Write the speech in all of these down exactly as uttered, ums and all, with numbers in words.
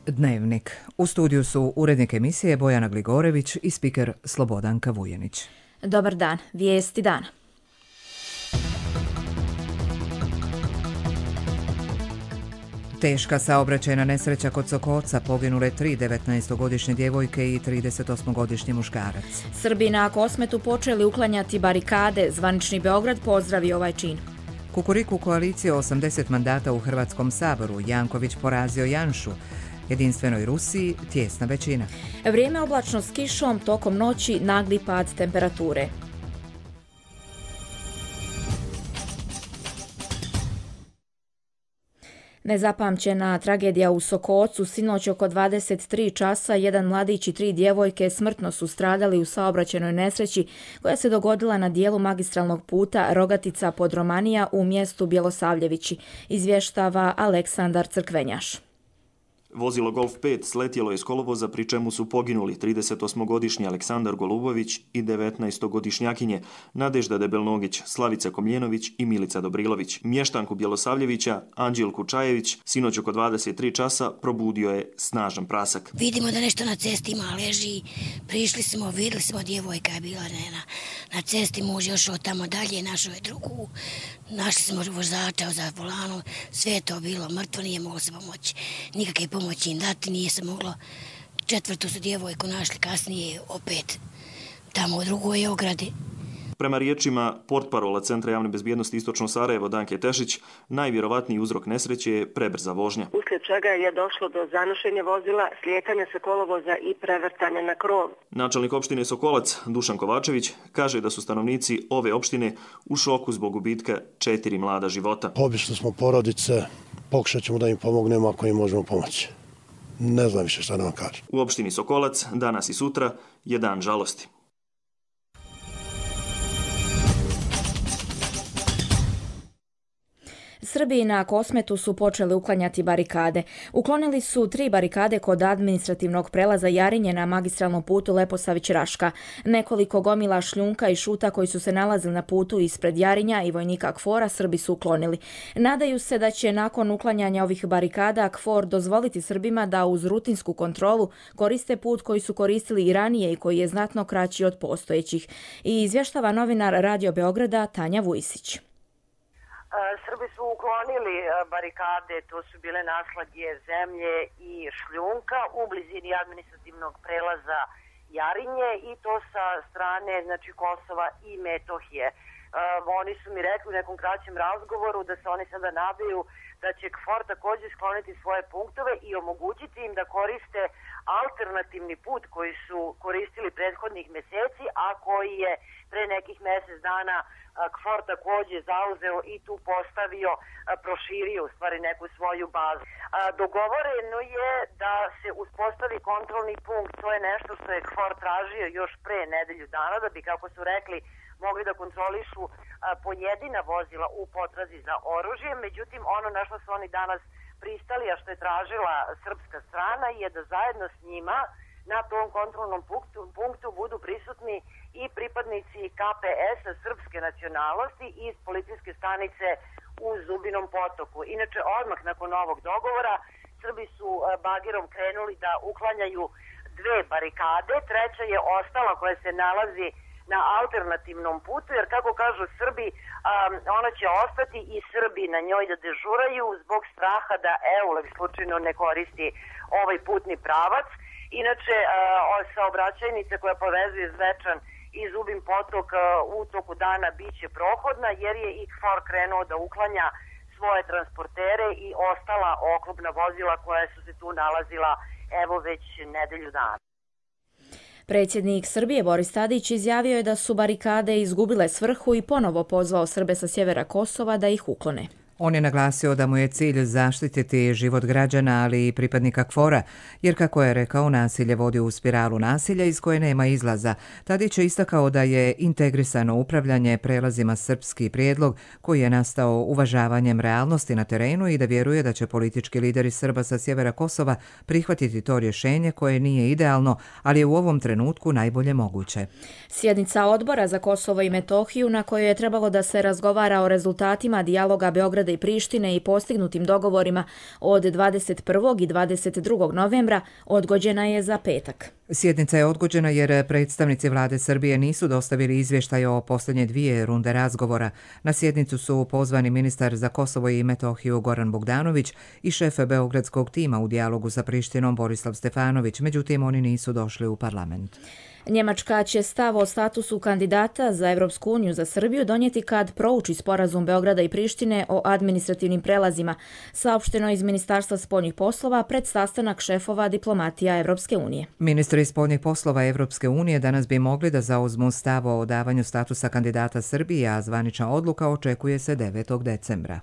Dnevnik. U studiju su urednik emisije Bojana Gligorević i spiker Slobodanka Vujenić. Dobar dan, vijesti dana. Teška saobraćajna nesreća kod Sokolca, poginule tri devetnaestogodišnje djevojke i tridesetosmogodišnji muškarac. Srbi na Kosmetu počeli uklanjati barikade, zvanični Beograd pozdravio ovaj čin. Kukuriku koalicije osamdeset mandata u Hrvatskom saboru, Janković porazio Janšu. Jedinstvenoj Rusiji tjesna većina. Vrijeme oblačno s kišom, tokom noći nagli pad temperature. Nezapamćena tragedija u Sokolcu. Sinoć oko dvadeset tri časa jedan mladić i tri djevojke smrtno su stradali u saobraćajnoj nesreći koja se dogodila na dijelu magistralnog puta Rogatica-Podromanija u mjestu Bjelosavljevići, izvještava Aleksandar Crkvenjaš. Vozilo Golf pet sletjelo je s kolovoza, pri čemu su poginuli tridesetosmogodišnji Aleksandar Golubović i devetnaestogodišnjakinje Nadežda Debelnogić, Slavica Komljenović i Milica Dobrilović. Mještanku Bjelosavljevića, Anđelku Čajević, sinoć oko dvadeset tri časa probudio je snažan prasak. Vidimo da nešto na cesti ima, leži, prišli smo, vidjeli smo, djevojka je bila na, na cesti, muž je ošao tamo dalje, našao je drugu, našli smo vozača za volanom, sve je to bilo mrtvo, nije moglo se pomoći, nikakve pomoći im dati, nije se moglo. Četvrtu su djevojku našli kasnije opet tamo u drugoj ogradi. Prema riječima portparola Centra javne bezbjednosti Istočno Sarajevo Danke Tešić, najvjerovatniji uzrok nesreće je prebrza vožnja. Uslijed čega je došlo do zanošenja vozila, slijetanja sa kolovoza i prevrtanja na krov. Načelnik opštine Sokolac Dušan Kovačević kaže da su stanovnici ove opštine u šoku zbog gubitka četiri mlada života. Obično smo porodice, pokušat ćemo da im pomognemo ako im možemo pomoći. Ne znam više šta da vam kažem. U opštini Sokolac danas i sutra je dan žalosti. Srbi na Kosmetu su počeli uklanjati barikade. Uklonili su tri barikade kod administrativnog prelaza Jarinje na magistralnom putu Leposavić-Raška. Nekoliko gomila šljunka i šuta koji su se nalazili na putu ispred Jarinja i vojnika KFOR-a Srbi su uklonili. Nadaju se da će nakon uklanjanja ovih barikada KFOR dozvoliti Srbima da uz rutinsku kontrolu koriste put koji su koristili i ranije i koji je znatno kraći od postojećih. I izvještava novinar Radio Beograda Tanja Vujsić. Srbi su uklonili barikade, to su bile naslagje zemlje i šljunka u blizini administrativnog prelaza Jarinje i to sa strane znači, Kosova i Metohije. Uh, oni su mi rekli u nekom kraćem razgovoru da se oni sada nadaju da će KFOR također skloniti svoje punktove i omogućiti im da koriste alternativni put koji su koristili prethodnih mjeseci, a koji je pre nekih mjesec dana KFOR također zauzeo i tu postavio, proširio u stvari neku svoju bazu. Dogovoreno je da se uspostavi kontrolni punkt, to je nešto što je KFOR tražio još pre nedelju dana, da bi, kako su rekli, mogli da kontrolišu pojedina vozila u potrazi za oružje. Međutim, ono na što su oni danas pristali, a što je tražila srpska strana, je da zajedno s njima na tom kontrolnom punktu, punktu budu prisutni i pripadnici K P S-a srpske nacionalnosti iz policijske stanice u Zubinom Potoku. Inače, odmah nakon ovog dogovora, Srbi su bagerom krenuli da uklanjaju dve barikade, treća je ostala koja se nalazi na alternativnom putu, jer kako kažu Srbi, um, ona će ostati i Srbi na njoj da dežuraju zbog straha da EULEX slučajno ne koristi ovaj putni pravac. Inače, uh, saobraćajnica koja povezuje Zvečan i Zubin Potok uh, u toku dana bit će prohodna, jer je i KFOR krenuo da uklanja svoje transportere i ostala oklopna vozila koja su se tu nalazila evo već nedelju dana. Predsjednik Srbije Boris Tadić izjavio je da su barikade izgubile svrhu i ponovo pozvao Srbe sa sjevera Kosova da ih uklone. On je naglasio da mu je cilj zaštititi život građana, ali i pripadnika KFOR-a, jer kako je rekao, nasilje vodi u spiralu nasilja iz koje nema izlaza. Tadić je istakao da je integrisano upravljanje prelazima srpski prijedlog koji je nastao uvažavanjem realnosti na terenu i da vjeruje da će politički lideri Srba sa sjevera Kosova prihvatiti to rješenje koje nije idealno, ali je u ovom trenutku najbolje moguće. Sjednica odbora za Kosovo i Metohiju na kojoj je trebalo da se razgovara o rezultatima dijaloga Beograda Beograda i Prištine i postignutim dogovorima od dvadeset prvog i dvadeset drugog novembra odgođena je za petak. Sjednica je odgođena jer predstavnici vlade Srbije nisu dostavili izvještaj o posljednje dvije runde razgovora. Na sjednicu su pozvani ministar za Kosovo i Metohiju Goran Bogdanović i šef beogradskog tima u dijalogu sa Prištinom Borislav Stefanović, međutim oni nisu došli u parlament. Njemačka će stav o statusu kandidata za Evropsku uniju za Srbiju donijeti kad prouči sporazum Beograda i Prištine o administrativnim prelazima, saopšteno iz Ministarstva spoljnih poslova pred sastanak šefova diplomatija Evropske unije. Ministri spoljnih poslova Evropske unije danas bi mogli da zauzmu stav o davanju statusa kandidata Srbije, a zvanična odluka očekuje se devetog decembra.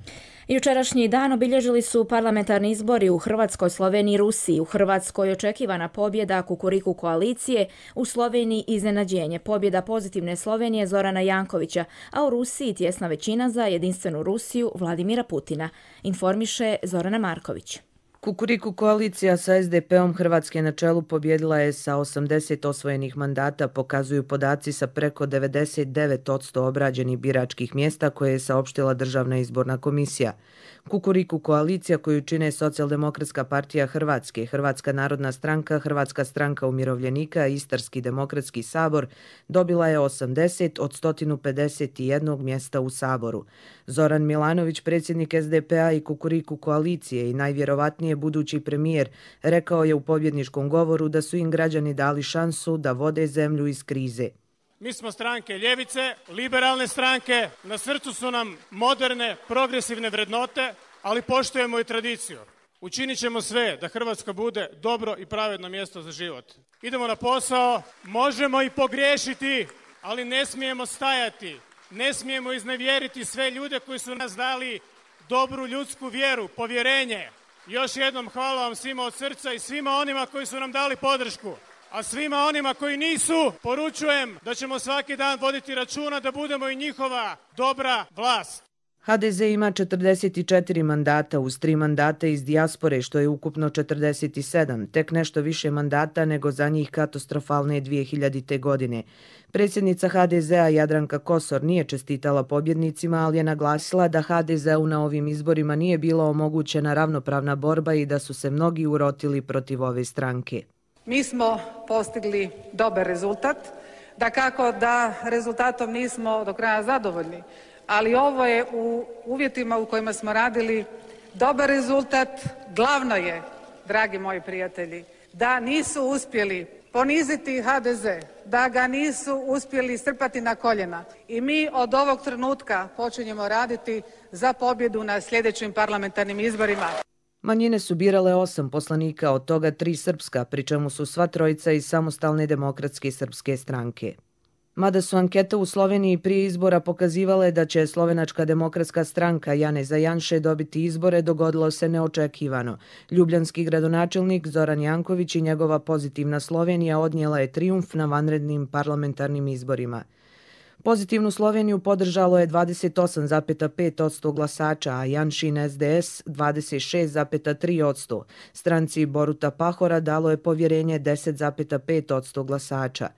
Jučerašnji dan obilježili su parlamentarni izbori u Hrvatskoj, Sloveniji i Rusiji. U Hrvatskoj očekivana pobjeda Kukuriku koalicije, u Sloveniji iznenađenje pobjeda Pozitivne Slovenije Zorana Jankovića, a u Rusiji tjesna većina za Jedinstvenu Rusiju Vladimira Putina, informiše Zorana Marković. Kukuriku koalicija sa es de pe-om Hrvatske na čelu pobjedila je sa osamdeset osvojenih mandata, pokazuju podaci sa preko devedeset devet posto obrađenih biračkih mjesta koje je saopštila Državna izborna komisija. Kukuriku koalicija koju čine Socijaldemokratska partija Hrvatske, Hrvatska narodna stranka, Hrvatska stranka umirovljenika i Istarski demokratski sabor dobila je osamdeset od sto pedeset jedan mjesta u saboru. Zoran Milanović, predsjednik es de pe-a i Kukuriku koalicije i najvjerovatnije budući premijer, rekao je u pobjedničkom govoru da su im građani dali šansu da vode zemlju iz krize. Mi smo stranke ljevice, liberalne stranke, na srcu su nam moderne, progresivne vrednote, ali poštujemo i tradiciju. Učinit ćemo sve da Hrvatska bude dobro i pravedno mjesto za život. Idemo na posao, možemo i pogriješiti, ali ne smijemo stajati, ne smijemo iznevjeriti sve ljude koji su nas dali dobru ljudsku vjeru, povjerenje. Još jednom hvala vam svima od srca i svima onima koji su nam dali podršku. A svima onima koji nisu, poručujem da ćemo svaki dan voditi računa da budemo i njihova dobra vlast. ha de ze ima četrdeset četiri mandata uz tri mandata iz dijaspore, što je ukupno četrdeset sedam, tek nešto više mandata nego za njih katastrofalne dvije hiljadite. godine. Predsjednica ha de ze-a Jadranka Kosor nije čestitala pobjednicima, ali je naglasila da ha de ze-u na ovim izborima nije bila omogućena ravnopravna borba i da su se mnogi urotili protiv ove stranke. Mi smo postigli dobar rezultat, dakako da rezultatom nismo do kraja zadovoljni, ali ovo je u uvjetima u kojima smo radili dobar rezultat. Glavno je, dragi moji prijatelji, da nisu uspjeli poniziti ha de ze, da ga nisu uspjeli strpati na koljena i mi od ovog trenutka počinjemo raditi za pobjedu na sljedećim parlamentarnim izborima. Manjine su birale osam poslanika, od toga tri srpska, pri čemu su sva trojica iz Samostalne demokratske srpske stranke. Mada su ankete u Sloveniji prije izbora pokazivale da će Slovenačka demokratska stranka Janeza Janše dobiti izbore, dogodilo se neočekivano. Ljubljanski gradonačelnik Zoran Janković i njegova Pozitivna Slovenija odnijela je trijumf na vanrednim parlamentarnim izborima. Pozitivnu Sloveniju podržalo je dvadeset osam zarez pet posto glasača, a Janšin es de es dvadeset šest zarez tri posto. Stranci Boruta Pahora dalo je povjerenje deset zarez pet posto glasača.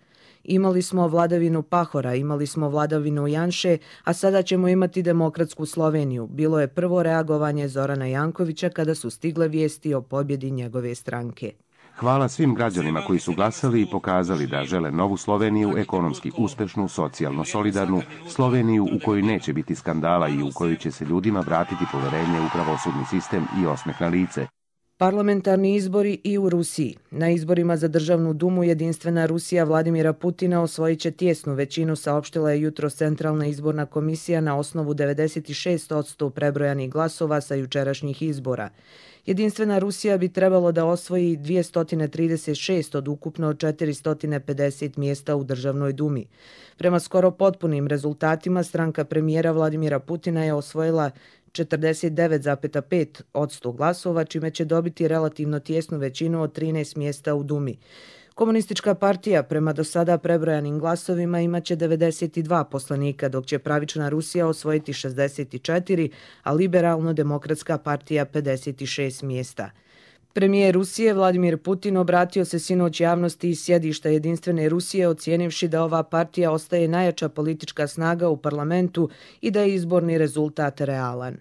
Imali smo vladavinu Pahora, imali smo vladavinu Janše, a sada ćemo imati demokratsku Sloveniju. Bilo je prvo reagovanje Zorana Jankovića kada su stigle vijesti o pobjedi njegove stranke. Hvala svim građanima koji su glasali i pokazali da žele novu Sloveniju, ekonomski uspešnu, socijalno solidarnu, Sloveniju u kojoj neće biti skandala i u kojoj će se ljudima vratiti poverenje u pravosudni sistem i osmeh na lice. Parlamentarni izbori i u Rusiji. Na izborima za Državnu dumu Jedinstvena Rusija Vladimira Putina osvojit će tijesnu većinu, saopštila je jutros Centralna izborna komisija na osnovu devedeset šest posto prebrojanih glasova sa jučerašnjih izbora. Jedinstvena Rusija bi trebalo da osvoji dvjesto trideset šest od ukupno četiristo pedeset mjesta u Državnoj dumi. Prema skoro potpunim rezultatima, stranka premijera Vladimira Putina je osvojila četrdeset devet zarez pet posto glasova, čime će dobiti relativno tijesnu većinu od trinaest mjesta u Dumi. Komunistička partija prema do sada prebrojanim glasovima imaće devedeset dva poslanika, dok će Pravična Rusija osvojiti šezdeset četiri, a Liberalno-demokratska partija pedeset šest mjesta. Premijer Rusije Vladimir Putin obratio se sinoć javnosti iz sjedišta Jedinstvene Rusije, ocijenivši da ova partija ostaje najjača politička snaga u parlamentu i da je izborni rezultat realan.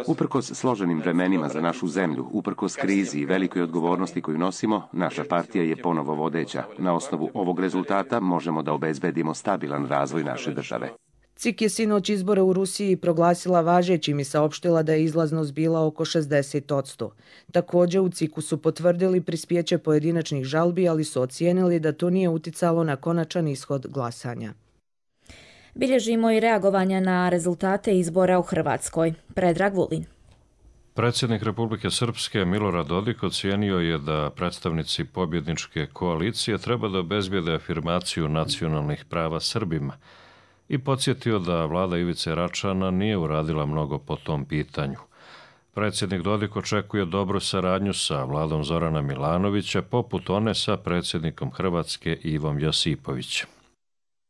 Uprkos složenim vremenima za našu zemlju, uprkos krizi i velikoj odgovornosti koju nosimo, naša partija je ponovo vodeća. Na osnovu ovog rezultata možemo da obezbedimo stabilan razvoj naše države. C I K je sinoć izbore u Rusiji proglasila važećim i saopštila da je izlaznost bila oko šezdeset posto. Također u C I K-u su potvrdili prispjeće pojedinačnih žalbi, ali su ocijenili da to nije uticalo na konačan ishod glasanja. Bilježimo i reagovanja na rezultate izbora u Hrvatskoj. Predrag Vulin. Predsjednik Republike Srpske Milorad Dodik ocijenio je da predstavnici pobjedničke koalicije treba da obezbijede afirmaciju nacionalnih prava Srbima i podsjetio da vlada Ivice Račana nije uradila mnogo po tom pitanju. Predsjednik Dodik očekuje dobru saradnju sa vladom Zorana Milanovića, poput one sa predsjednikom Hrvatske Ivom Josipovićem.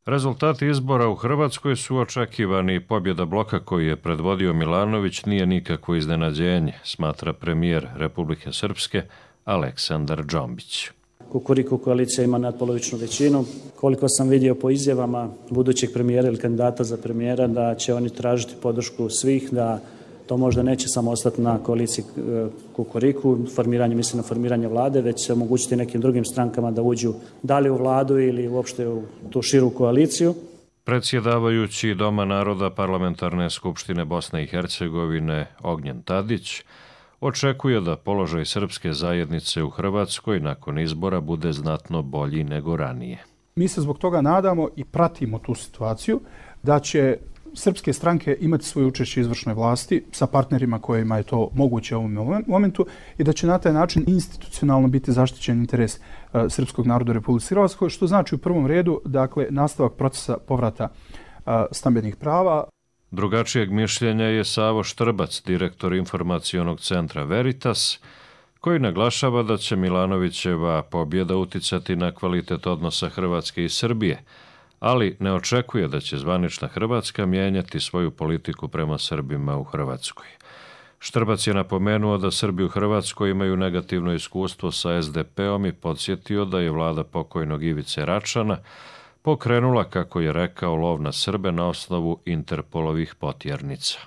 Rezultati izbora u Hrvatskoj su očekivani. Pobjeda bloka koji je predvodio Milanović nije nikakvo iznenađenje, smatra premijer Republike Srpske Aleksandar Džombić. Kukuriku koalicija ima nadpolovičnu većinu. Koliko sam vidio po izjavama budućeg premijera ili kandidata za premijera da će oni tražiti podršku svih, da to možda neće samo ostati na koaliciji Kukuriku, formiranje, mislim na formiranje vlade, već će omogućiti nekim drugim strankama da uđu da li u vladu ili uopšte u tu širu koaliciju. Predsjedavajući Doma naroda Parlamentarne skupštine Bosne i Hercegovine Ognjen Tadić očekuje da položaj srpske zajednice u Hrvatskoj nakon izbora bude znatno bolji nego ranije. Mi se zbog toga nadamo i pratimo tu situaciju da će srpske stranke imati svoje učešće izvršnoj vlasti sa partnerima kojima je to moguće u ovom momentu i da će na taj način institucionalno biti zaštićen interes uh, srpskog naroda u Republici Hrvatskoj, što znači u prvom redu dakle, nastavak procesa povrata uh, stambenih prava. Drugačijeg mišljenja je Savo Štrbac, direktor informacionog centra Veritas, koji naglašava da će Milanovićeva pobjeda uticati na kvalitet odnosa Hrvatske i Srbije, ali ne očekuje da će zvanična Hrvatska mijenjati svoju politiku prema Srbima u Hrvatskoj. Štrbac je napomenuo da Srbi u Hrvatskoj imaju negativno iskustvo sa es de pe-om i podsjetio da je vlada pokojnog Ivice Račana pokrenula, kako je rekao, lov na Srbe na osnovu Interpolovih potjernica.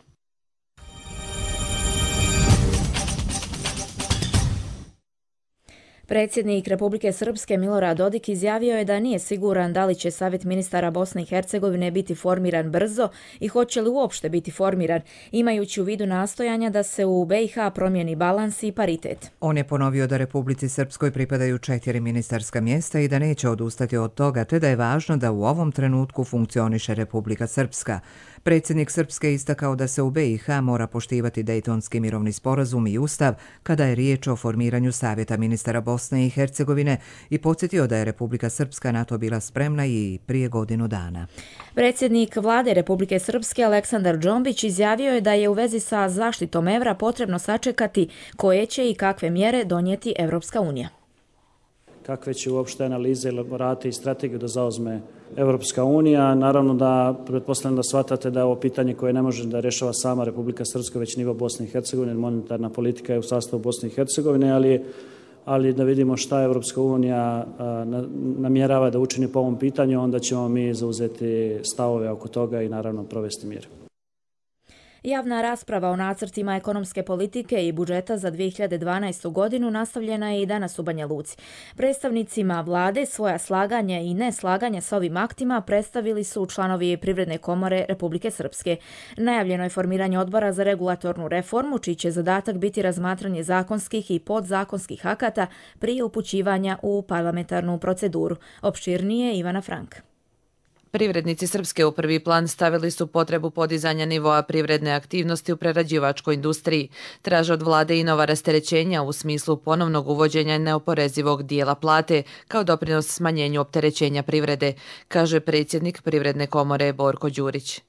Predsjednik Republike Srpske Milorad Dodik izjavio je da nije siguran da li će Savjet ministara Bosne i Hercegovine biti formiran brzo i hoće li uopšte biti formiran, imajući u vidu nastojanja da se u be i ha promijeni balans i paritet. On je ponovio da Republici Srpskoj pripadaju četiri ministarska mjesta i da neće odustati od toga, te da je važno da u ovom trenutku funkcioniše Republika Srpska. Predsjednik Srpske istakao da se u be i ha mora poštivati Dejtonski mirovni sporazum i ustav kada je riječ o formiranju Savjeta ministara Bosne i Hercegovine i podsjetio da je Republika Srpska na to bila spremna i prije godinu dana. Predsjednik vlade Republike Srpske Aleksandar Džombić izjavio je da je u vezi sa zaštitom evra potrebno sačekati koje će i kakve mjere donijeti Evropska unija. Kakve će uopšte analize, elaborate i strategiju da zauzme Evropska unija. Naravno da pretpostavljam da shvatate da je ovo pitanje koje ne može da rješava sama Republika Srpska, već nivo Bosne i Hercegovine. Monetarna politika je u sastavu Bosne i Hercegovine, ali, ali da vidimo šta Evropska unija namjerava da učini po ovom pitanju, onda ćemo mi zauzeti stavove oko toga i naravno provesti mjere. Javna rasprava o nacrtima ekonomske politike i budžeta za dvije hiljade dvanaestu. godinu nastavljena je i danas u Banja Luci. Predstavnicima vlade svoja slaganja i neslaganja sa ovim aktima predstavili su članovi Privredne komore Republike Srpske. Najavljeno je formiranje odbora za regulatornu reformu, čiji će zadatak biti razmatranje zakonskih i podzakonskih akata prije upućivanja u parlamentarnu proceduru. Opširnije Ivana Frank. Privrednici Srpske u prvi plan stavili su potrebu podizanja nivoa privredne aktivnosti u prerađivačkoj industriji. Traže od vlade i nova rasterećenja u smislu ponovnog uvođenja neoporezivog dijela plate kao doprinos smanjenju opterećenja privrede, kaže predsjednik Privredne komore Borko Đurić.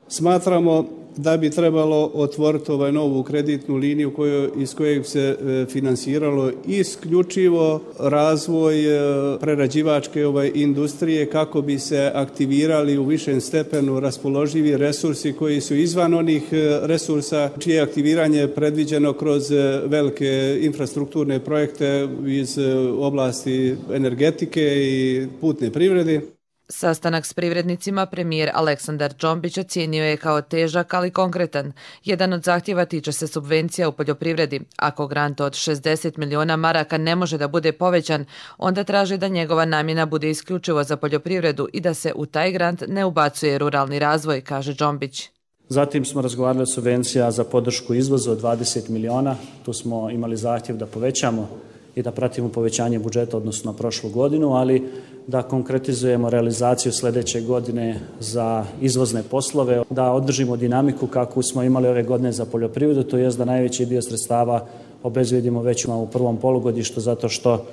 Smatramo da bi trebalo otvoriti ovaj novu kreditnu liniju koju, iz kojeg se e, finansiralo isključivo razvoj e, prerađivačke ovaj, industrije kako bi se aktivirali u višem stepenu raspoloživi resursi koji su izvan onih e, resursa čije aktiviranje je predviđeno kroz e, velike infrastrukturne projekte iz e, oblasti energetike i putne privrede. Sastanak s privrednicima premijer Aleksandar Džombić ocijenio je kao težak, ali konkretan. Jedan od zahtjeva tiče se subvencija u poljoprivredi. Ako grant od šezdeset miliona maraka ne može da bude povećan, onda traže da njegova namjena bude isključivo za poljoprivredu i da se u taj grant ne ubacuje ruralni razvoj, kaže Džombić. Zatim smo razgovarali o subvencija za podršku izvoza od dvadeset miliona. Tu smo imali zahtjev da povećamo i da pratimo povećanje budžeta odnosno na prošlu godinu, ali da konkretizujemo realizaciju sljedeće godine za izvozne poslove, da održimo dinamiku kakvu smo imali ove godine za poljoprivredu, to jest da najveći dio sredstava obezbijedimo već u prvom polugodištu, zato što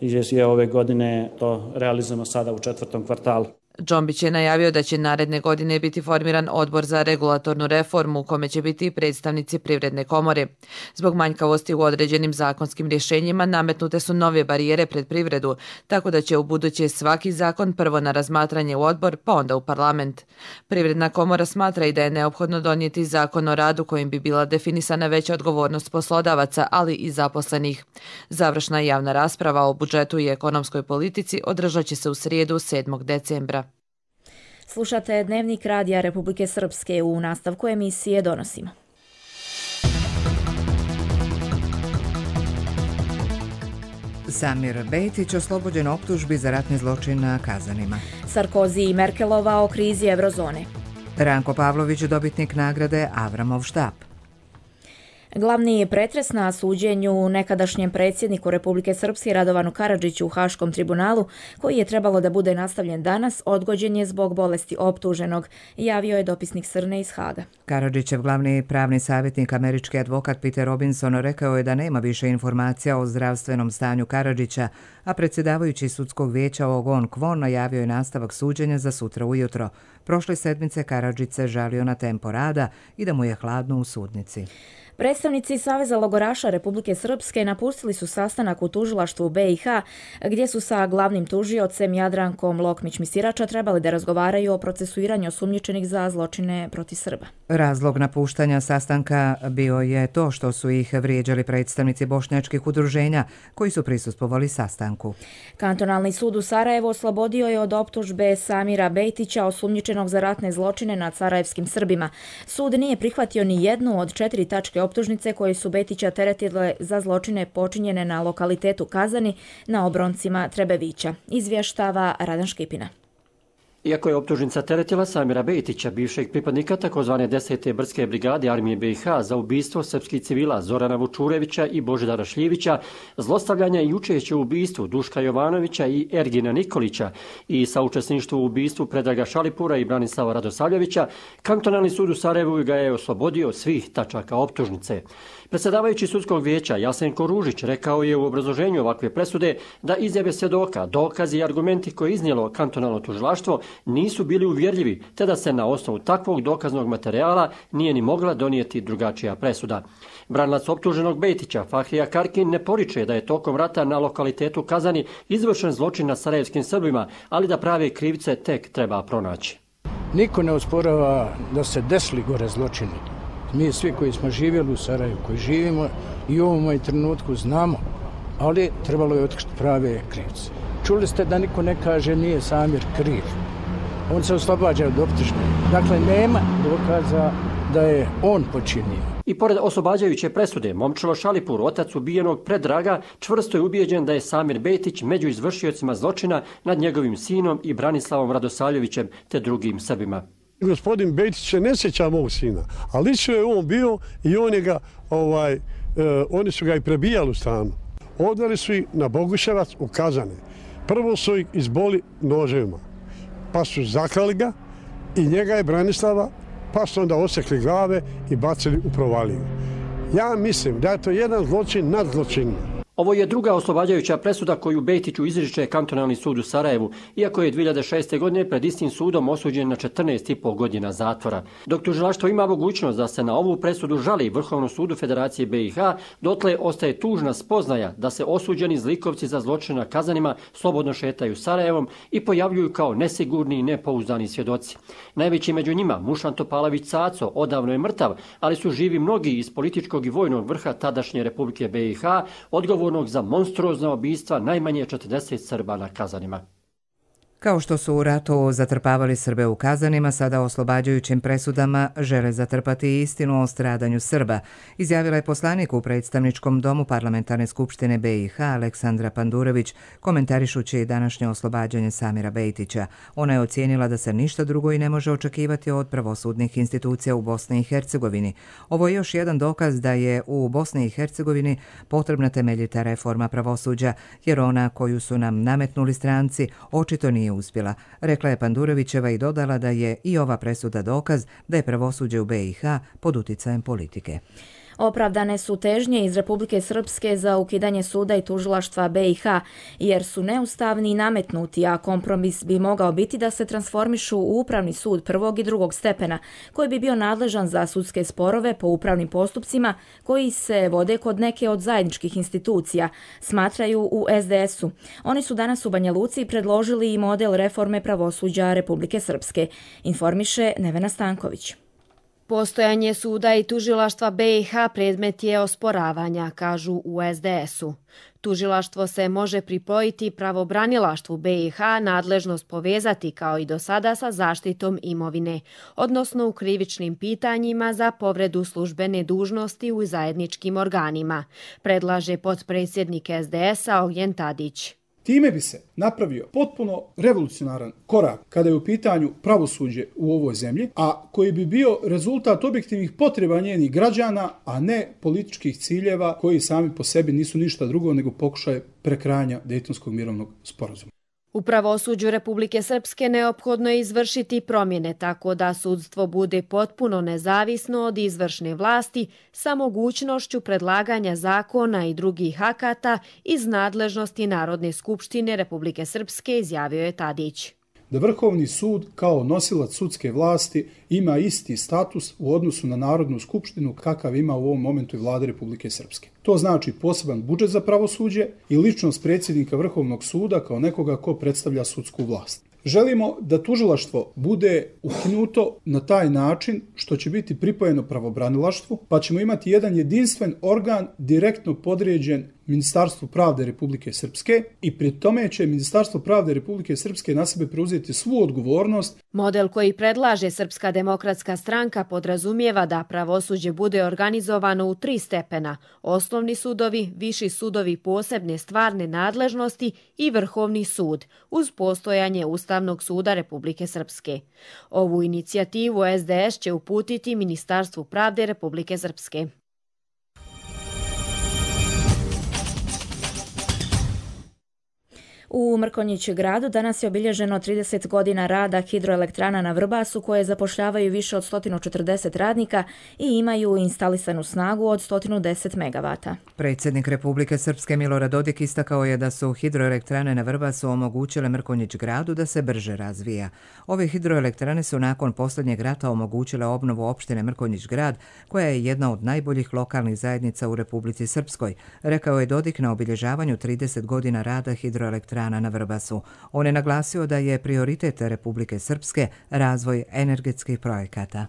je ove godine to realizujemo sada u četvrtom kvartalu. Džombić je najavio da će naredne godine biti formiran odbor za regulatornu reformu u kome će biti predstavnici Privredne komore. Zbog manjkavosti u određenim zakonskim rješenjima nametnute su nove barijere pred privredu, tako da će u buduće svaki zakon prvo na razmatranje u odbor, pa onda u parlament. Privredna komora smatra i da je neophodno donijeti zakon o radu kojim bi bila definisana veća odgovornost poslodavaca, ali i zaposlenih. Završna javna rasprava o budžetu i ekonomskoj politici održat će se u srijedu sedmog decembra. Slušate Dnevnik Radija Republike Srpske, u nastavku emisije donosimo. Samir Bejtić oslobođen optužbi za ratni zločin na Kazanima. Sarkozy i Merkelova o krizi eurozone. Ranko Pavlović dobitnik nagrade Avramov štab. Glavni pretres na suđenju nekadašnjem predsjedniku Republike Srpske Radovanu Karadžiću u Haškom tribunalu, koji je trebalo da bude nastavljen danas, odgođen je zbog bolesti optuženog, javio je dopisnik Srne iz Haga. Karadžićev glavni pravni savjetnik, američki advokat Peter Robinson, rekao je da nema više informacija o zdravstvenom stanju Karadžića, a predsjedavajući sudskog vijeća Ogon Kvon najavio je nastavak suđenja za sutra ujutro. Prošle sedmice Karadžić se žalio na tempo rada i da mu je hladno u sudnici. Predstavnici Saveza logoraša Republike Srpske napustili su sastanak u tužilaštvu B i H, gdje su sa glavnim tužiocem Jadrankom Lokmić-Misirača trebali da razgovaraju o procesuiranju osumnjičenih za zločine protiv Srba. Razlog napuštanja sastanka bio je to što su ih vrijeđali predstavnici bošnjačkih udruženja koji su prisustvovali sastanku. Kantonalni sud u Sarajevu oslobodio je od optužbe Samira Bejtića, osumnjičenog za ratne zločine nad sarajevskim Srbima. Sud nije prihvatio ni jednu od četiri tačke optužnice koje su Bejtića teretile za zločine počinjene na lokalitetu Kazani na obroncima Trebevića, izvještava Radan Škipina. Iako je optužnica teretila Samira Bejtića, bivšeg pripadnika takozvane desete brdske brigade armije B i H za ubistvo srpskih civila Zorana Vučurevića i Božidara Šljivića, zlostavljanja i učešće u ubistvu Duška Jovanovića i Ergina Nikolića i saučesništvo u ubistvu Predraga Šalipura i Branislava Radosavljevića, Kantonalni sud u Sarajevu ga je oslobodio svih tačaka optužnice. Predsjedavajući sudskog vijeća Jasenko Ružić rekao je u obrazloženju ovakve presude da izjave svjedoka, dokazi i argumenti koje je iznijelo kantonalno tužilaštvo nisu bili uvjerljivi, te da se na osnovu takvog dokaznog materijala nije ni mogla donijeti drugačija presuda. Branilac optuženog Bejtića, Fahrija Karkin, ne poriče da je tokom rata na lokalitetu Kazani izvršen zločin nad sarajevskim Srbima, ali da prave krivice tek treba pronaći. Niko ne osporava da se desili gore zločini. Mi svi koji smo živjeli u Sarajevu, koji živimo i u ovom trenutku znamo, ali trebalo je otkriti prave krivce. Čuli ste da niko ne kaže nije Samir kriv. On se oslobađa od optužbe. Dakle, nema dokaza da je on počinio. I pored oslobađajuće presude, Momčilo Šalipur, otac ubijenog Predraga, čvrsto je ubijeđen da je Samir Bejtić među izvršiocima zločina nad njegovim sinom i Branislavom Radosavljevićem te drugim Srbima. Gospodin Bejtić se ne sjeća mog sina, ali lično je on bio i on je ga, ovaj, eh, oni su ga i prebijali u stanu. Odveli su ih na Boguševac u Kazane. Prvo su ih izboli noževima, pa su zaklali ga i njega je Branislava, pa su onda osekli glave i bacili u provaliju. Ja mislim da je to jedan zločin nad zločinima. Ovo je druga oslobađajuća presuda koju Bejtiću izriče Kantonalni sud u Sarajevu, iako je dvije hiljade šeste. godine pred istim sudom osuđen na četrnaest i pol godina zatvora. Dok tužilaštvo ima mogućnost da se na ovu presudu žali Vrhovnom sudu Federacije B i H, dotle ostaje tužna spoznaja da se osuđeni zlikovci za zločine na Kazanima slobodno šetaju Sarajevom i pojavljuju kao nesigurni i nepouzdani svjedoci. Najveći među njima, Mušan Topalović Caco, odavno je mrtav, ali su živi mnogi iz političkog i vojnog vrha tadašnje Republike B i H, odgovor za monstruozna ubistva najmanje četrdeset Srba na Kazanima. Kao što su u ratu zatrpavali Srbe u kazanima, sada oslobađajućim presudama žele zatrpati istinu o stradanju Srba, izjavila je poslanik u predstavničkom domu Parlamentarne skupštine B i H Aleksandra Pandurević, komentarišući današnje oslobađanje Samira Bejtića. Ona je ocijenila da se ništa drugo i ne može očekivati od pravosudnih institucija u Bosni i Hercegovini. Ovo je još jedan dokaz da je u Bosni i Hercegovini potrebna temeljita reforma pravosuđa, jer ona koju su nam nametnuli stranci očito nije uspjela, rekla je Pandurevićeva i dodala da je i ova presuda dokaz da je pravosuđe u B i H pod uticajem politike. Opravdane su težnje iz Republike Srpske za ukidanje suda i tužilaštva B i H, jer su neustavni i nametnuti, a kompromis bi mogao biti da se transformišu u upravni sud prvog i drugog stepena, koji bi bio nadležan za sudske sporove po upravnim postupcima koji se vode kod neke od zajedničkih institucija, smatraju u S D S-u. Oni su danas u Banja Luci predložili i model reforme pravosuđa Republike Srpske, informiše Nevena Stanković. Postojanje suda i tužilaštva B i H predmet je osporavanja, kažu u S D S-u. Tužilaštvo se može pripojiti pravobranilaštvu B i H, nadležnost povezati kao i do sada sa zaštitom imovine, odnosno u krivičnim pitanjima za povredu službene dužnosti u zajedničkim organima, predlaže potpredsjednik S D S-a Ognjen Tadić. Time bi se napravio potpuno revolucionaran korak kada je u pitanju pravosuđe u ovoj zemlji, a koji bi bio rezultat objektivnih potreba njenih građana, a ne političkih ciljeva koji sami po sebi nisu ništa drugo nego pokušaj prekrajanja Dejtonskog mirovnog sporazuma. U pravosuđu Republike Srpske neophodno je izvršiti promjene tako da sudstvo bude potpuno nezavisno od izvršne vlasti sa mogućnošću predlaganja zakona i drugih akata iz nadležnosti Narodne skupštine Republike Srpske, izjavio je Tadić. Da Vrhovni sud kao nosilac sudske vlasti ima isti status u odnosu na Narodnu skupštinu kakav ima u ovom momentu i vlada Republike Srpske. To znači poseban budžet za pravosuđe i ličnost predsjednika Vrhovnog suda kao nekoga ko predstavlja sudsku vlast. Želimo da tužilaštvo bude ukinuto na taj način što će biti pripojeno pravobranilaštvu, pa ćemo imati jedan jedinstven organ direktno podređen Ministarstvu pravde Republike Srpske i pri tome će Ministarstvo pravde Republike Srpske na sebe preuzeti svu odgovornost. Model koji predlaže Srpska demokratska stranka podrazumijeva da pravosuđe bude organizovano u tri stepena: osnovni sudovi, viši sudovi posebne stvarne nadležnosti i Vrhovni sud, uz postojanje Ustavnog suda Republike Srpske. Ovu inicijativu S D S će uputiti Ministarstvu pravde Republike Srpske. U Mrkonjić gradu danas je obilježeno trideset godina rada hidroelektrana na Vrbasu, koje zapošljavaju više od sto četrdeset radnika i imaju instalisanu snagu od sto deset megavata. Predsjednik Republike Srpske Milorad Dodik istakao je da su hidroelektrane na Vrbasu omogućile Mrkonjić gradu da se brže razvija. Ove hidroelektrane su nakon posljednjeg rata omogućile obnovu opštine Mrkonjić grad, koja je jedna od najboljih lokalnih zajednica u Republici Srpskoj, rekao je Dodik na obilježavanju trideset godina rada hidroelektrana na Vrbasu. On je naglasio da je prioritet Republike Srpske razvoj energetskih projekata.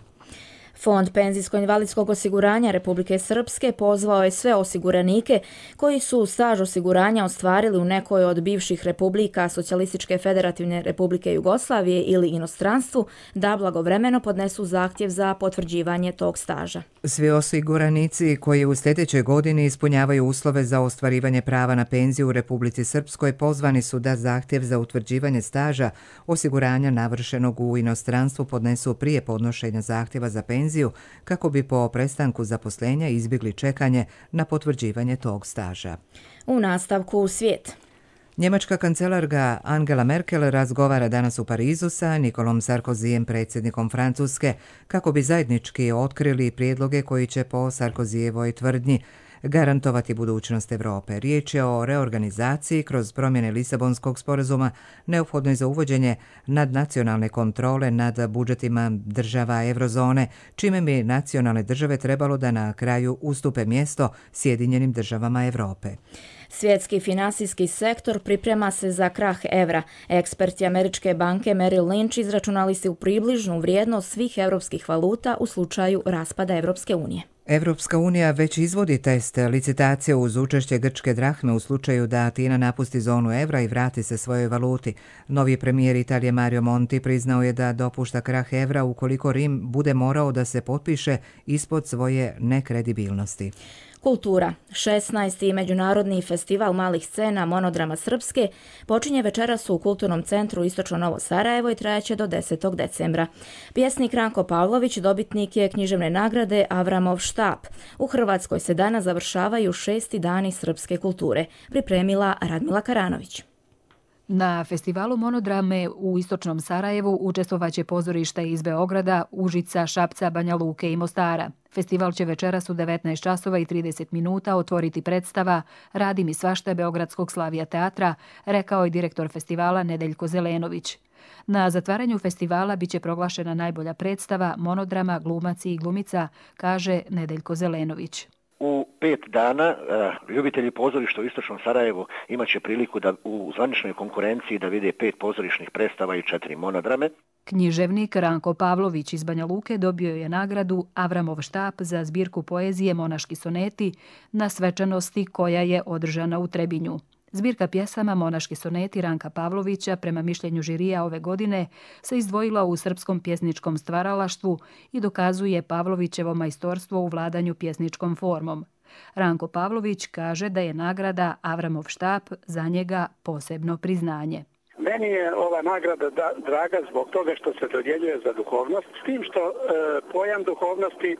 Fond penzijsko-invalidskog osiguranja Republike Srpske pozvao je sve osiguranike koji su staž osiguranja ostvarili u nekoj od bivših republika Socijalističke federativne Republike Jugoslavije ili inostranstvu da blagovremeno podnesu zahtjev za potvrđivanje tog staža. Svi osiguranici koji u sljedećoj godini ispunjavaju uslove za ostvarivanje prava na penziju u Republici Srpskoj pozvani su da zahtjev za utvrđivanje staža osiguranja navršenog u inostranstvu podnesu prije podnošenja zahtjeva za penziju kako bi po prestanku zaposlenja izbjegli čekanje na potvrđivanje tog staža. U nastavku u svijet. Njemačka kancelarka Angela Merkel razgovara danas u Parizu sa Nikolom Sarkozijem, predsjednikom Francuske, kako bi zajednički otkrili prijedloge koji će po Sarkozijevoj tvrdnji garantovati budućnost Europe. Riječ je o reorganizaciji kroz promjene Lisabonskog sporazuma neophodnoj za uvođenje nadnacionalne kontrole nad budžetima država eurozone, čime bi nacionalne države trebalo da na kraju ustupe mjesto Sjedinjenim državama Europe. Svjetski finansijski sektor priprema se za krah evra. Eksperti američke banke Merrill Lynch izračunali su približnu vrijednost svih europskih valuta u slučaju raspada Europske unije. Evropska unija već izvodi test licitacije uz učešće grčke drahme u slučaju da Atina napusti zonu evra i vrati se svojoj valuti. Novi premijer Italije Mario Monti priznao je da dopušta krah evra ukoliko Rim bude morao da se potpiše ispod svoje nekredibilnosti. Kultura. šesnaesti. Međunarodni festival malih scena Monodrama Srpske počinje večeras u Kulturnom centru Istočno Novo Sarajevo i trajaće do desetog decembra. Pjesnik Ranko Pavlović dobitnik je književne nagrade Avramov štap. U Hrvatskoj se danas završavaju šesti dani srpske kulture. Pripremila Radmila Karanović. Na festivalu monodrame u Istočnom Sarajevu učestvovaće pozorišta iz Beograda, Užica, Šapca, Banja Luke i Mostara. Festival će večeras u devetnaest časova i trideset minuta otvoriti predstava Radi mi svašta Beogradskog Slavija teatra, rekao je direktor festivala Nedeljko Zelenović. Na zatvaranju festivala biće proglašena najbolja predstava Monodrama Glumac i glumica, kaže Nedeljko Zelenović. U pet dana ljubitelji pozorišta u Istočnom Sarajevu imat će priliku da u zvaničnoj konkurenciji da vide pet pozorišnih predstava i četiri monodrame. Književnik Ranko Pavlović iz Banja Luke dobio je nagradu Avramov štap za zbirku poezije Monaški soneti na svečanosti koja je održana u Trebinju. Zbirka pjesama Monaški soneti Ranka Pavlovića, prema mišljenju žirija ove godine, se izdvojila u srpskom pjesničkom stvaralaštvu i dokazuje Pavlovićevo majstorstvo u vladanju pjesničkom formom. Ranko Pavlović kaže da je nagrada Avramov štap za njega posebno priznanje. Meni je ova nagrada da, draga zbog toga što se dodjeljuje za duhovnost, s tim što e, pojam duhovnosti e,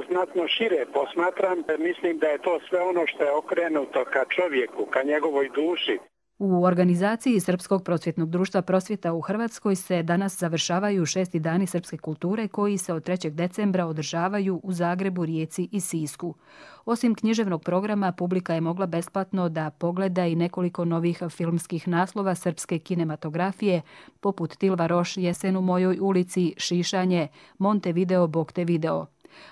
znatno šire posmatram. E, mislim da je to sve ono što je okrenuto ka čovjeku, ka njegovoj duši. U organizaciji Srpskog prosvjetnog društva Prosvjeta u Hrvatskoj se danas završavaju šesti dani srpske kulture koji se od trećeg decembra održavaju u Zagrebu, Rijeci i Sisku. Osim književnog programa, publika je mogla besplatno da pogleda i nekoliko novih filmskih naslova srpske kinematografije, poput Tilva Roš, Jesen u mojoj ulici, Šišanje, Montevideo, Boktevideo.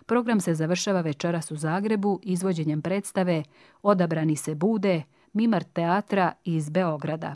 Program se završava večeras u Zagrebu izvođenjem predstave Odabrani se bude, Mimar teatra iz Beograda.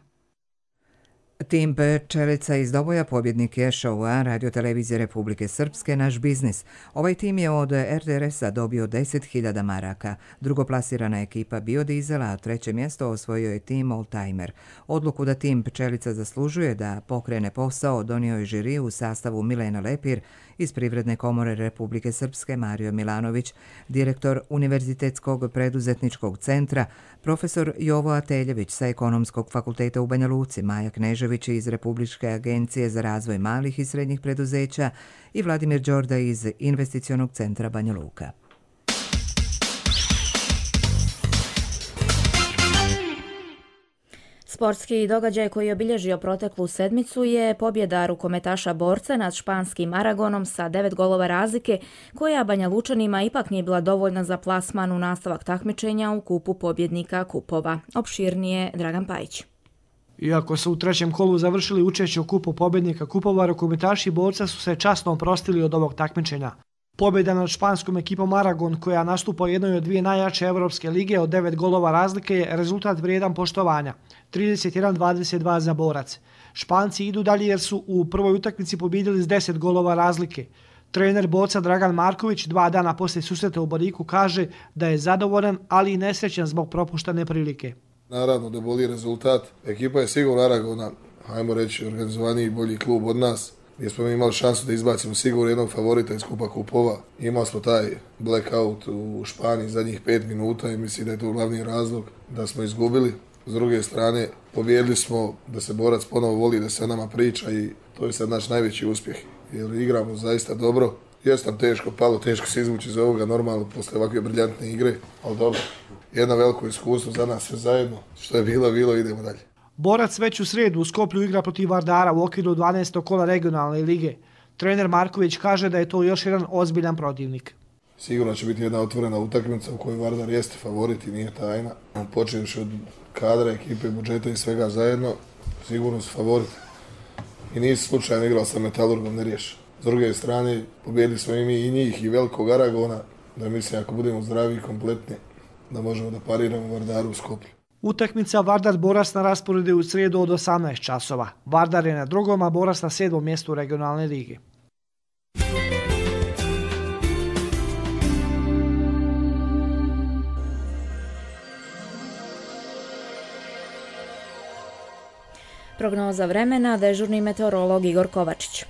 Tim Pčelica iz Doboja pobjednik je šoua Radio-televizije Republike Srpske Naš biznis. Ovaj tim je od er te er es-a dobio deset hiljada maraka. Drugoplasirana ekipa Biodizela, a treće mjesto osvojio je tim Oldtimer. Odluku da tim Pčelica zaslužuje da pokrene posao donio je žiri u sastavu Milena Lepir iz Privredne komore Republike Srpske Mario Milanović, direktor Univerzitetskog preduzetničkog centra, profesor Jovo Ateljević sa Ekonomskog fakulteta u Banja Luci, Maja Knežević iz Republičke agencije za razvoj malih i srednjih preduzeća i Vladimir Đorda iz Investicionog centra Banja Luka. Sportski događaj koji je obilježio proteklu sedmicu je pobjeda rukometaša Borca nad španskim Aragonom sa devet golova razlike, koja Banja Lučanima ipak nije bila dovoljna za plasman u nastavak takmičenja u kupu pobjednika kupova. Opširnije Dragan Pajić. Iako su u trećem kolu završili učešće u kupu pobjednika kupova, rukometaši Borca su se časno oprostili od ovog takmičenja. Pobjeda nad španskom ekipom Aragon, koja nastupa u jednoj od dvije najjače evropske lige od devet golova razlike, je rezultat vrijedan poštovanja. trideset jedan dvadeset dva za Borac. Španci idu dalje jer su u prvoj utakmici pobjedili s deset golova razlike. Trener Borca Dragan Marković dva dana poslije susreta u Boriku kaže da je zadovoljan, ali i nesrećan zbog propuštane prilike. Naravno da boli rezultat. Ekipa je sigurno Aragona, hajmo reći, organizovaniji i bolji klub od nas, gdje smo imali šansu da izbacimo sigurno jednog favorita iz kupa kupova. Imali smo taj blackout u Španiji zadnjih pet minuta i mislim da je to glavni razlog da smo izgubili. S druge strane, pobjedili smo da se Borac ponovo voli, da se o nama priča i to je sad naš najveći uspjeh. Jer igramo zaista dobro. Jeste nam teško palo, teško se izvući iz ovoga normalno posle ovakve briljantne igre, ali dobro. Jedno veliko iskustvo za nas sve zajedno. Što je bilo, bilo, idemo dalje. Borac već u srijedu u Skoplju igra protiv Vardara u okviru dvanaestog kola regionalne lige. Trener Marković kaže da je to još jedan ozbiljan protivnik. Sigurno će biti jedna otvorena utakmica u kojoj Vardar jeste favorit i nije tajna. Počevši od kadra, ekipe, budžeta i svega zajedno, sigurno su favorit. I nisi slučajno igrao sa Metalurgom, ne riješi. S druge strane, pobjedili smo i mi i njih i velikog Aragona, da mislim ako budemo zdravi i kompletni, da možemo da pariramo Vardaru u Skoplju. Utakmica Vardar-Borac na rasporedu u srijedu od osamnaest časova. Vardar je na drugom, a Borac na sedmom mjestu regionalne lige. Prognoza vremena, dežurni meteorolog Igor Kovačić.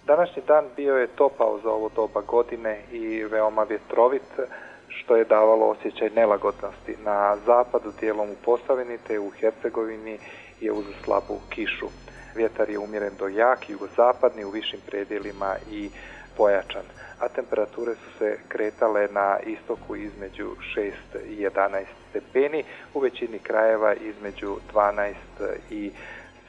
Današnji dan bio je topao za ovo doba godine i veoma vjetrovit, što je davalo osjećaj nelagodnosti. Na zapadu, dijelom u Posavini te u Hercegovini je uz slabu kišu. Vjetar je umjeren do jak, jugozapadni, u višim predjelima i pojačan, a temperature su se kretale na istoku između šest i jedanaest stepeni, u većini krajeva između dvanaest i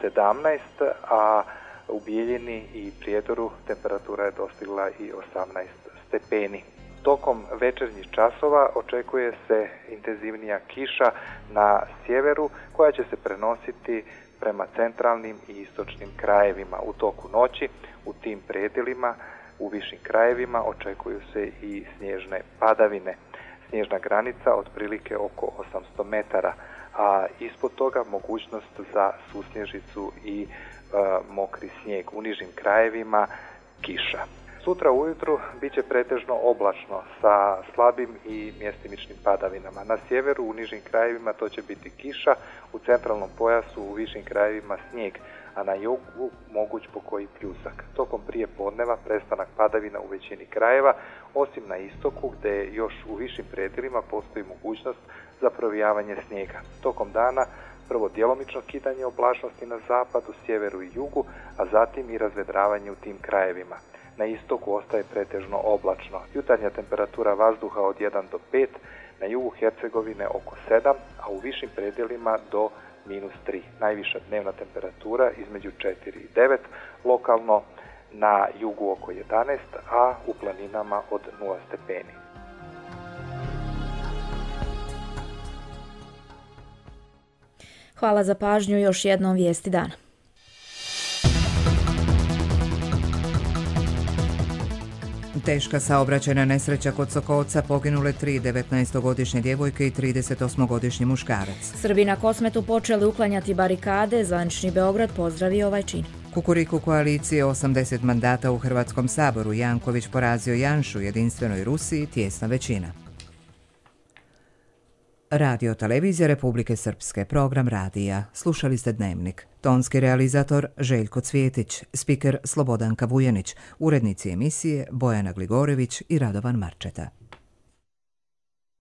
sedamnaest, a u Bijeljini i Prijedoru temperatura je dostigla i osamnaest stepeni. Tokom večernjih časova očekuje se intenzivnija kiša na sjeveru koja će se prenositi prema centralnim i istočnim krajevima. U toku noći u tim predjelima u višim krajevima očekuju se i snježne padavine. Snježna granica otprilike oko osamsto metara, a ispod toga mogućnost za susnježicu i e, mokri snijeg. U nižim krajevima kiša. Sutra ujutru bit će pretežno oblačno sa slabim i mjestimičnim padavinama. Na sjeveru u nižim krajevima to će biti kiša, u centralnom pojasu u višim krajevima snijeg, a na jugu moguć pokoji pljusak. Tokom prije podneva prestanak padavina u većini krajeva, osim na istoku gdje još u višim predjelima postoji mogućnost za provijavanje snijega. Tokom dana prvo djelomično kidanje oblačnosti na zapadu, sjeveru i jugu, a zatim i razvedravanje u tim krajevima. Na istoku ostaje pretežno oblačno. Jutarnja temperatura vazduha od jedan do pet, na jugu Hercegovine oko sedam, a u višim predjelima do minus tri. Najviša dnevna temperatura između četiri i devet, lokalno na jugu oko jedanaest, a u planinama od nula stepeni. Hvala za pažnju, još jednom vijesti dana. Teška saobraćajna nesreća kod Sokolca, poginule tri devetnaestogodišnje djevojke i tridesetosmogodišnji muškarac. Srbi na Kosmetu počeli uklanjati barikade, zvanični Beograd pozdravio ovaj čin. Kukuriku koalicije osamdeset mandata u Hrvatskom saboru, Janković porazio Janšu, jedinstvenoj Rusiji, tjesna većina. Radio televizija Republike Srpske, program radija. Slušali ste Dnevnik. Tonski realizator Željko Cvjetić, spiker Slobodanka Vujanić, urednici emisije Bojana Gligorević i Radovan Marčeta.